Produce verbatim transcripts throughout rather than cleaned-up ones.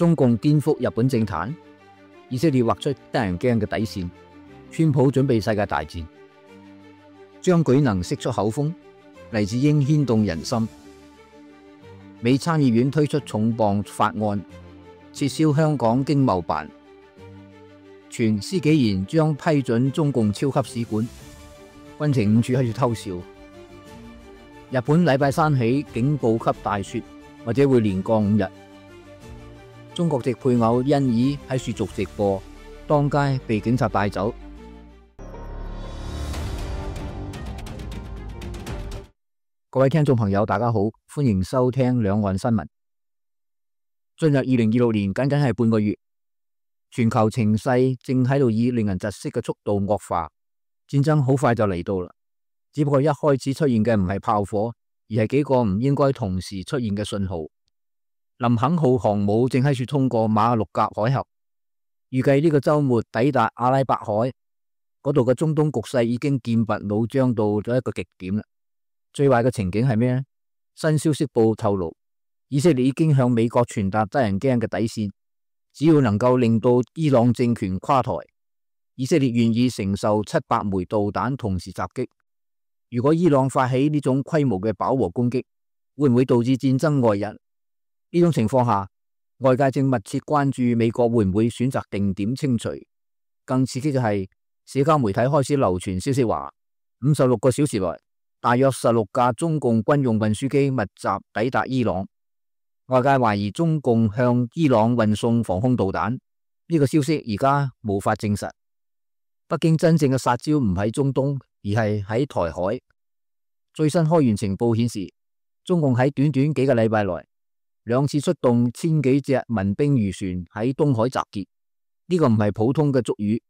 中共顛覆日本政壇，以色列劃出得人驚嘅底線，川普準備世界大戰，張舉能釋出口風，黎智英牽動人心。美參議院推出重磅法案，撤銷香港經貿辦，傳施紀賢將批准中共超級使館。軍情五處喺度偷笑。日本禮拜三起警報級大雪，或者會連降五日。中國籍配偶欣宜喺雪族直播，當街被警察帶走。各位聽眾朋友，大家好，歡迎收聽兩岸新聞。進入二零二六年，僅僅係半個月，全球情勢正喺度以令人窒息嘅速度惡化，戰爭好快就嚟到啦。只不過一開始出現嘅唔係炮火，而係幾個唔應該同時出現嘅信號。林肯號航母正喺處通過馬六甲海峽，預計呢個周末抵達阿拉伯海嗰度嘅中東局勢已經劍拔弩張到咗一個極點啦。最壞嘅情景係咩呢？新消息報透露，以色列已經向美國傳達得人驚嘅底線，只要能夠令到伊朗政權垮台，以色列願意承受七百枚導彈同時襲擊。如果伊朗發起呢種規模嘅飽和攻擊，會唔會導致戰爭外溢？呢種情況下，外界正密切關注美國會唔會選擇定點清除。更刺激嘅係，社交媒體開始流傳消息話，五十六個小時內，大約十六架中共軍用運輸機密集抵達伊朗。外界懷疑中共向伊朗運送防空導彈，呢個消息而家無法證實。北京真正嘅殺招唔喺中東，而係喺台海。最新開源情報顯示，中共喺短短幾個禮拜內，兩次出動千幾隻民兵漁船喺東海集結，呢個唔係普通嘅捉魚，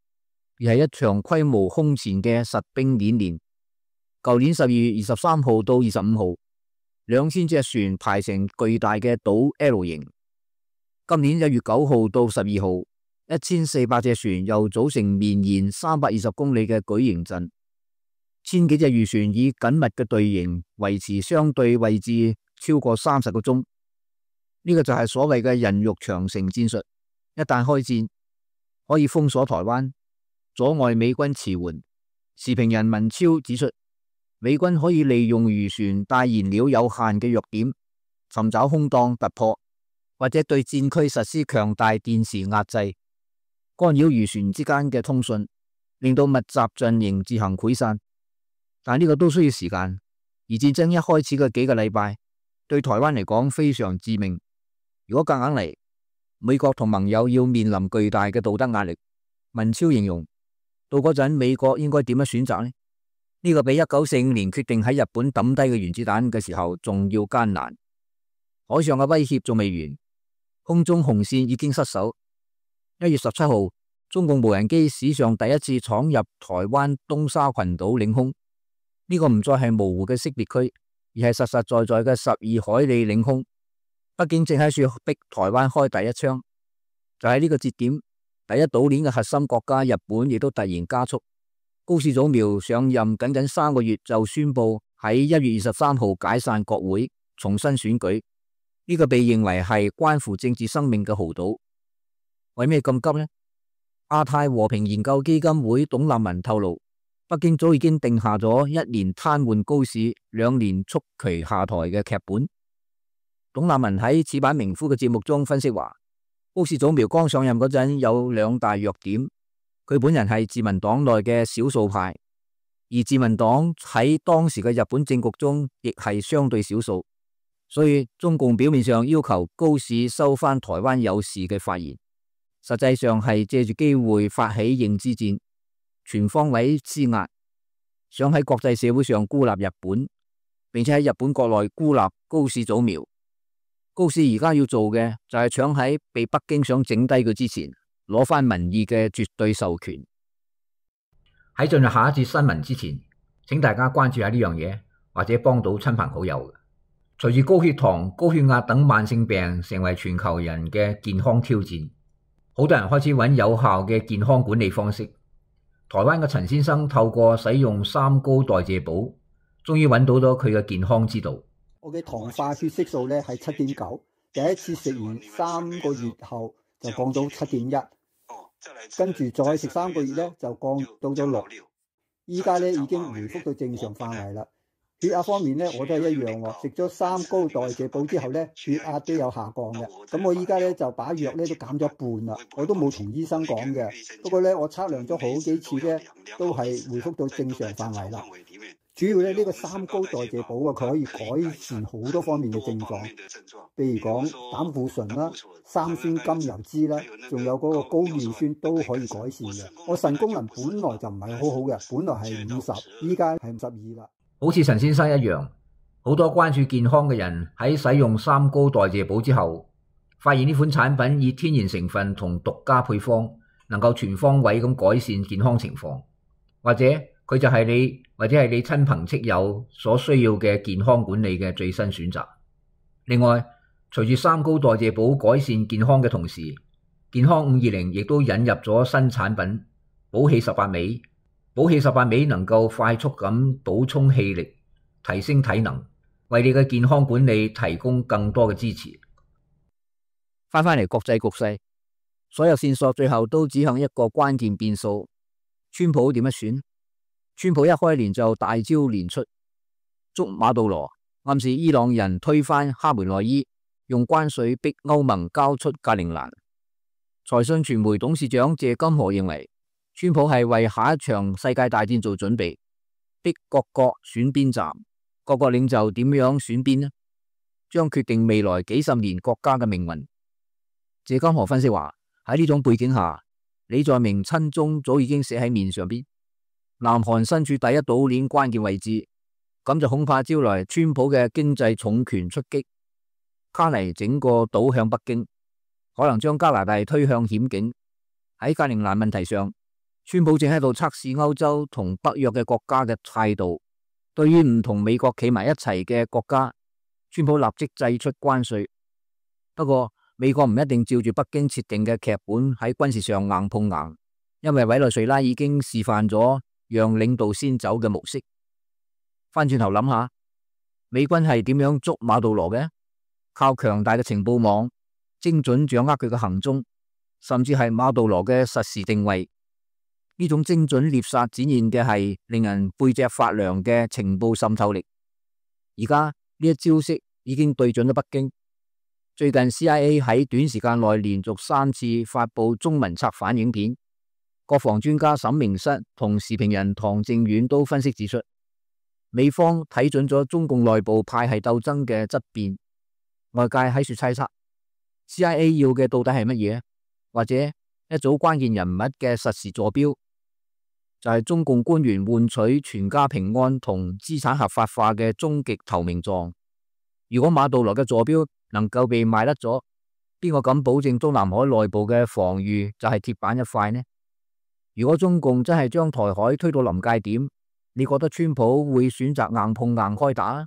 而係一場規模空前嘅實兵演練。舊年十二月二十三號到二十五號，兩千隻船排成巨大嘅島 L 型。今年一月九號到十二號，一千四百隻船又組成綿延三百二十公里嘅矩形陣，千幾隻漁船以緊密嘅隊形維持相對位置超過三十個鐘。呢個就係所謂嘅人肉長城戰術，一旦開戰，可以封鎖台灣，阻礙美軍馳援。時評人文超指出，美軍可以利用漁船帶燃料有限嘅弱點，尋找空檔突破，或者對戰區實施強大電磁壓制，干擾漁船之間嘅通訊，令到密集陣營自行潰散。但呢個都需要時間，而戰爭一開始嘅幾個禮拜，對台灣嚟講非常致命。如果夾硬嚟，美國同盟友要面臨巨大嘅道德壓力。文超形容，到嗰陣美國應該點樣選擇呢？呢個比一九四五年決定喺日本抌低嘅原子彈嘅時候仲要艱難。海上嘅威脅仲未完，空中紅線已經失守。一月十七號，中共無人機史上第一次闖入台灣東沙群島領空，呢個唔再係模糊嘅識別區，而係實實在在嘅十二海里領空。北京正喺處逼台灣開第一槍，就喺呢個節點，第一島鏈嘅核心國家日本亦都突然加速。高市早苗上任僅僅三個月就宣布喺一月二十三號解散國會，重新選舉。呢個被認為係關乎政治生命嘅豪賭。為咩咁急呢？亞太和平研究基金會董立文透露，北京早已經定下咗一年癱瘓高市，兩年促其下台嘅劇本。董立文喺此版名夫嘅節目中分析話，高市早苗剛上任嗰陣有兩大弱點，佢本人係自民黨內嘅少數派，而自民黨喺當時嘅日本政局中亦係相對少數，所以中共表面上要求高市收返台灣有事嘅發言，實際上係借住機會發起認知戰，全方位施壓，想喺國際社會上孤立日本，並且喺日本國內孤立高市早苗。高市而家要做嘅就係搶喺被北京想整低佢之前，攞翻民意嘅絕對授權。喺進入下一節新聞之前，請大家關注下呢樣嘢，或者幫到親朋好友。隨住高血糖、高血壓等慢性病成為全球人嘅健康挑戰，好多人開始揾有效嘅健康管理方式。台灣嘅陳先生透過使用三高代謝寶，終於揾到咗佢嘅健康之道。我嘅糖化血色素咧係七點九，第一次食完三個月後就降到七點一，跟住再食三個月咧就降到咗六，依家咧已經回復到正常範圍啦。血壓方面咧，我都係一樣喎。食咗三高代謝補之後咧，血壓都有下降嘅。咁我依家咧就把藥咧都減咗一半啦，我都冇同醫生講嘅。不過咧，我測量咗好幾次咧，都係回復到正常範圍啦。主要咧呢個三高代謝補啊，佢可以改善好多方面嘅症狀，譬如講膽固醇啦、三酸甘油脂啦，仲有嗰個高尿酸都可以改善嘅。我腎功能本來就唔係好好嘅，本來係五十，依家係五十二啦。好似陳先生一樣，好多關注健康嘅人喺使用三高代謝補之後，發現呢款產品以天然成分同獨家配方，能夠全方位咁改善健康情況，或者佢就係你或者係你親朋戚友所需要嘅健康管理嘅最新選擇。另外，隨住三高代謝補改善健康嘅同時，健康五二零亦都引入咗新產品補氣十八味。補氣十八味能夠快速咁補充氣力，提升體能，為你嘅健康管理提供更多嘅支持。翻返嚟國際局勢，所有線索最後都指向一個關鍵變數：川普點樣選？川普一開年就大招連出，捉馬杜羅，暗示伊朗人推翻哈梅內伊，用關稅逼歐盟交出格陵蘭。財訊傳媒董事長謝金河認為，川普係為下一場世界大戰做準備，逼各國選邊站，各國領袖點樣選邊呢？將決定未來幾十年國家嘅命運。謝金河分析話，喺呢種背景下，李在明親中早已經寫喺面上邊。南韓身處第一島鏈關鍵位置，咁就恐怕招來川普嘅經濟重拳出擊，卡嚟整個島向北京，可能將加拿大推向險境。喺格陵蘭問題上，川普正喺度測試歐洲同北約嘅國家嘅態度。對於唔同美國企埋一齊嘅國家，川普立即祭出關稅。不過美國唔一定照住北京設定嘅劇本喺軍事上硬碰硬，因為委內瑞拉已經示範咗讓領導先走嘅模式。翻轉頭諗下，美軍係點樣捉馬杜羅嘅？靠強大嘅情報網，精準掌握佢嘅行蹤，甚至係馬杜羅嘅實時定位。呢種精準獵殺展現嘅係令人背脊發涼嘅情報滲透力。而家呢一招式已經對準咗北京。最近 C I A 喺短時間內連續三次發佈中文策反影片，國防專家沈明室同時評人唐正遠都分析指出，美方睇準咗中共內部派系鬥爭嘅質變。外界喺處猜測 C I A 要嘅到底係乜嘢，或者一組關鍵人物嘅實時坐標，就係中共官員換取全家平安同資產合法化嘅終極投名狀。如果馬杜羅嘅坐標能夠被賣甩咗，邊個敢保證中南海內部嘅防禦就係鐵板一塊呢？如果中共真係將台海推到臨界點，你覺得川普會選擇硬碰硬開打，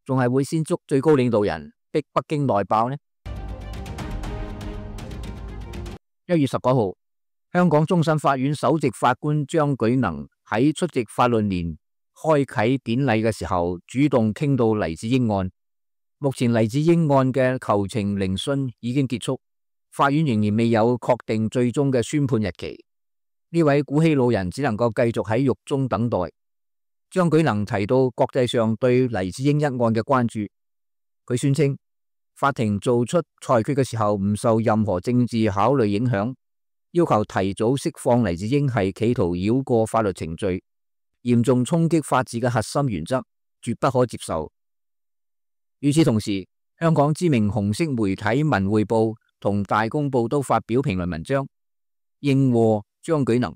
仲係會先捉最高領導人逼北京內爆呢？一月十九號，香港終審法院首席法官張舉能喺出席法論年開啟典禮嘅時候，主動傾到黎智英案。目前黎智英案嘅求情聆訊已經結束，法院仍然未有確定最終嘅宣判日期。呢位古稀老人只能夠繼續喺獄中等待。張舉能提到國際上對黎智英一案嘅關注，佢宣稱法庭做出裁決嘅時候唔受任何政治考慮影響，要求提早釋放黎智英係企圖繞過法律程序，嚴重衝擊法治嘅核心原則，絕不可接受。與此同時，香港知名紅色媒體文匯報同大公報都發表評論文章，應和張舉能，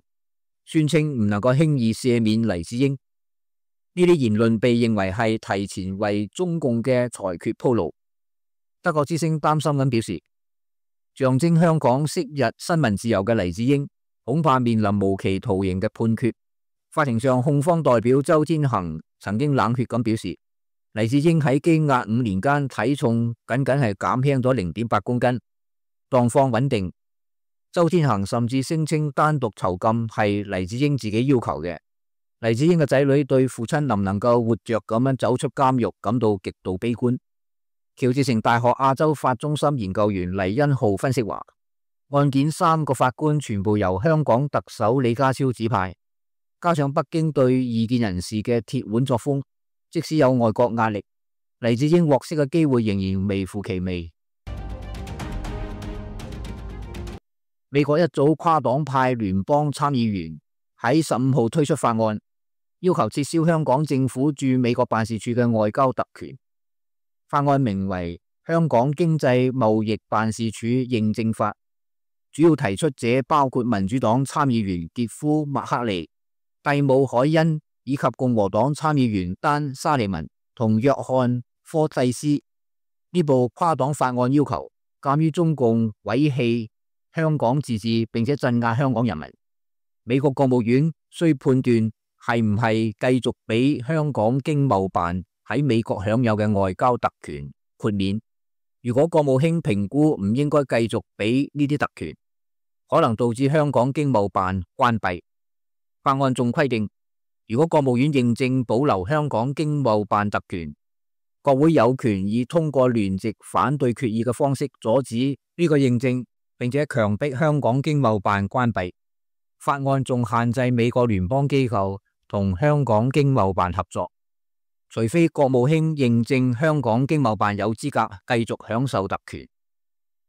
宣稱唔能夠輕易赦免黎智英。呢啲言論被認為係提前為中共嘅裁決鋪路。德國之聲擔心咁表示，象徵香港昔日新聞自由嘅黎智英，恐怕面臨無期徒刑嘅判決。法庭上，控方代表周天恒曾經冷血咁表示，黎智英喺羈押五年間體重僅僅係減輕咗零點八公斤，狀況穩定。周天恒甚至聲稱單獨囚禁係黎智英自己要求嘅。黎智英嘅仔女對父親能唔能夠活着咁樣走出監獄感到極度悲觀。喬治城大學亞洲法中心研究員黎恩浩分析話，案件三個法官全部由香港特首李家超指派，加上北京對異見人士嘅鐵腕作風，即使有外國壓力，黎智英獲釋嘅機會仍然微乎其微。美國一組跨黨派聯邦參議員喺十五號推出法案，要求撤銷香港政府駐美國辦事處嘅外交特權。法案名為《香港經濟貿易辦事處認證法》，主要提出者包括民主黨參議員傑夫·麥克利、蒂姆·海恩以及共和黨參議員丹·沙利文同約翰·科蒂斯。呢部跨黨法案要求，鑒於中共毀棄香港自治並且鎮壓香港人民，美國國務院需判斷係唔係繼續俾香港經貿辦喺美國享有嘅外交特權豁免。如果國務卿評估唔應該繼續俾呢啲特權，可能導致香港經貿辦關閉。法案仲規定，如果國務院認證保留香港經貿辦特權，國會有權以通過聯席反對決議嘅方式阻止呢個認證，並且強迫香港經貿辦關閉。法案仲限制美國聯邦機構同香港經貿辦合作，除非國務卿認證香港經貿辦有資格繼續享受特權。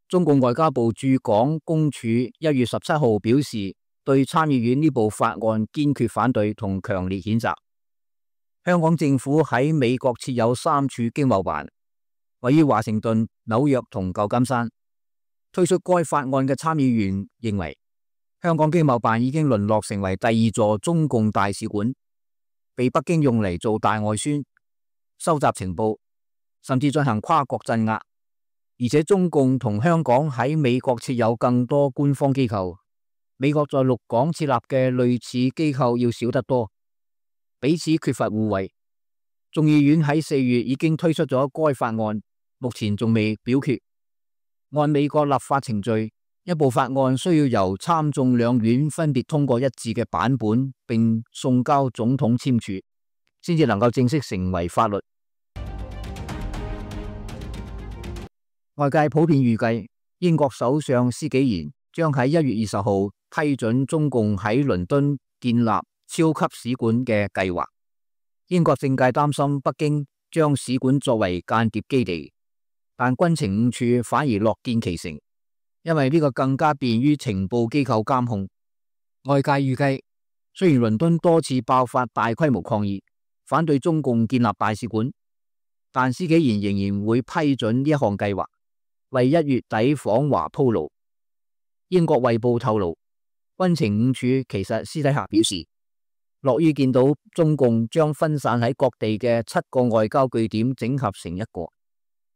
中共外交部駐港公署一月十七號表示，對參議院呢部法案堅決反對同強烈譴責。香港政府喺美國設有三處經貿辦，位於華盛頓、紐約同舊金山。推出該法案嘅參議員認為，香港經貿辦已經淪落成為第二座中共大使館，被北京用嚟做大外宣、收集情報，甚至進行跨國鎮壓。而且中共同香港喺美國設有更多官方機構，美國在陸港設立嘅類似機構要少得多，彼此缺乏互惠。眾議院喺四月已經推出咗該法案，目前仲未表決。按美國立法程序，一部法案需要由參眾兩院分別通過一致嘅版本，並送交總統簽署，先至能夠正式成為法律。外界普遍預計，英國首相施紀賢將喺一月二十號批准中共喺倫敦建立超級使館嘅計劃。英國政界擔心北京將使館作為間諜基地，但軍情五處反而樂見其成，因為呢個更加便於情報機構監控。外界預計，雖然倫敦多次爆發大規模抗議，反對中共建立大使館，但施紀賢仍然會批准呢一項計劃，為一月底訪華鋪路。英國衛報透露，軍情五處其實私底下表示，樂於見到中共將分散喺各地嘅七個外交據點整合成一個。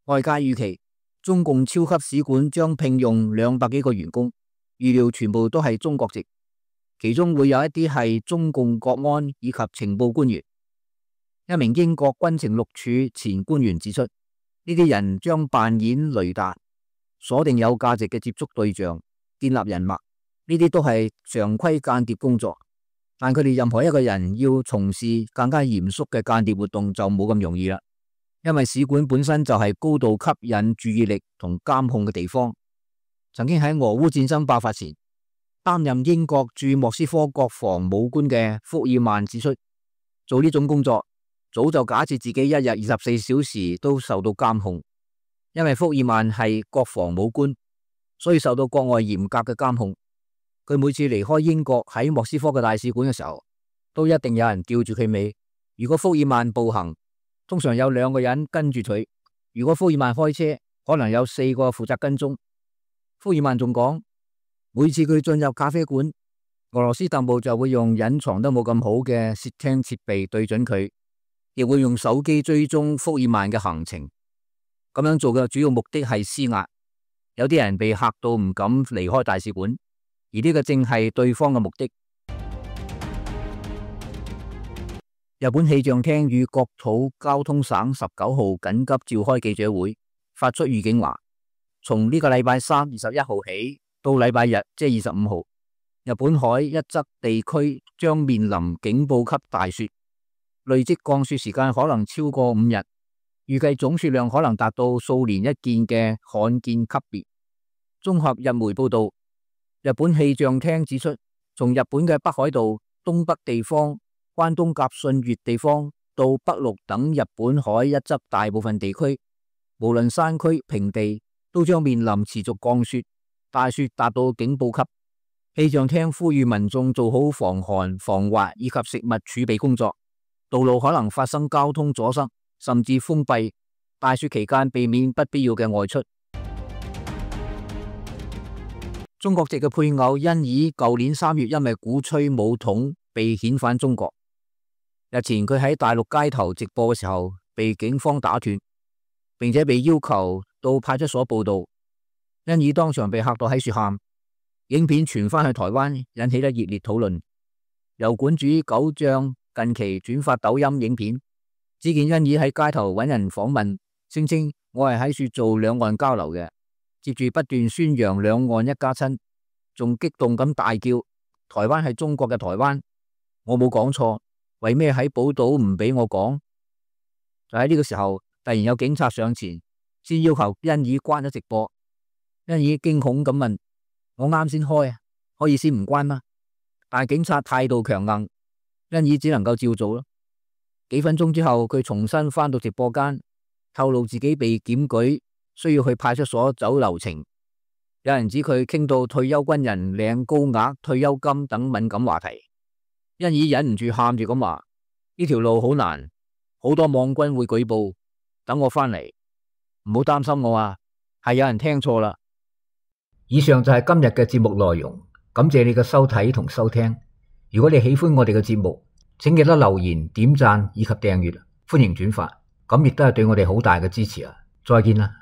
外界預期，中共超級使館將聘用兩百幾個員工，預料全部都係中國籍，其中會有一啲係中共國安以及情報官員。一名英國軍情六處前官員指出，呢啲人將扮演雷達，鎖定有價值嘅接觸對象，建立人脈，呢啲都係常規間諜工作。但佢哋任何一個人要從事更加嚴肅嘅間諜活動就冇咁容易啦，因為使館本身就係高度吸引注意力同監控嘅地方。曾經喺俄烏戰爭爆發前，擔任英國駐莫斯科國防武官嘅福爾曼指出，做呢種工作早就假設自己一日二十四小時都受到監控。因為福爾曼係國防武官，所以受到國外嚴格嘅監控。佢每次離開英國喺莫斯科嘅大使館嘅時候，都一定有人吊住佢尾。如果福爾曼步行，通常有兩個人跟住佢；如果福爾曼開車，可能有四個負責跟蹤。福爾曼仲講，每次佢進入咖啡館，俄羅斯特務就會用隱藏得冇咁好嘅竊聽設備對準佢，亦會用手機追蹤福爾曼嘅行程。咁樣做嘅主要目的係施壓。有啲人被嚇到唔敢離開大使館，而呢個正係對方嘅目的。日本氣象廳與國土交通省十九號緊急召開記者會，發出預警話，從呢個禮拜三二十一號起到禮拜日即係二十五號，日本海一側地區將面臨警報級大雪，累積降雪時間可能超過五日。預計總數量可能達到數年一見嘅罕見級別。綜合日媒報道，日本氣象廳指出，從日本嘅北海道、東北地方、關東甲信越地方到北陸等日本海一側大部分地區，無論山區、平地，都將面臨持續降雪，大雪達到警報級。氣象廳呼籲民眾做好防寒、防滑以及食物儲備工作，道路可能發生交通阻塞，甚至封閉。大雪期間避免不必要嘅外出。中國籍嘅配偶欣宜舊年三月因為鼓吹武統被遣返中國。日前佢喺大陸街頭直播嘅時候被警方打斷，並且被要求到派出所報到。欣宜當場被嚇到喺處喊。影片傳翻去台灣，引起咗熱烈討論。油管主九醬近期轉發抖音影片，只見欣宜喺街頭揾人訪問，聲稱我係喺處做兩岸交流嘅，接住不斷宣揚兩岸一家親，仲激動咁大叫台灣係中國嘅台灣，我冇講錯，為咩喺寶島唔俾我講？就喺呢個時候，突然有警察上前，先要求欣宜關咗直播。欣宜驚恐咁問：我啱先開啊，可以先唔關嗎？但係警察態度強硬，欣宜只能夠照做咯。幾分鐘之後，佢重新返到直播間，透露自己被檢舉，需要去派出所走流程。有人指佢傾到退休軍人領高額退休金等敏感話題，欣宜忍唔住喊住咁話：呢條路好難，好多網軍會舉報，等我返嚟，唔好擔心我啊，係有人聽錯啦。以上就係今日嘅節目內容，感謝你嘅收睇同收聽。如果你喜歡我哋嘅節目，請記得留言、點讚以及訂閱，歡迎轉發，咁亦都係對我哋好大嘅支持啊！再見啦。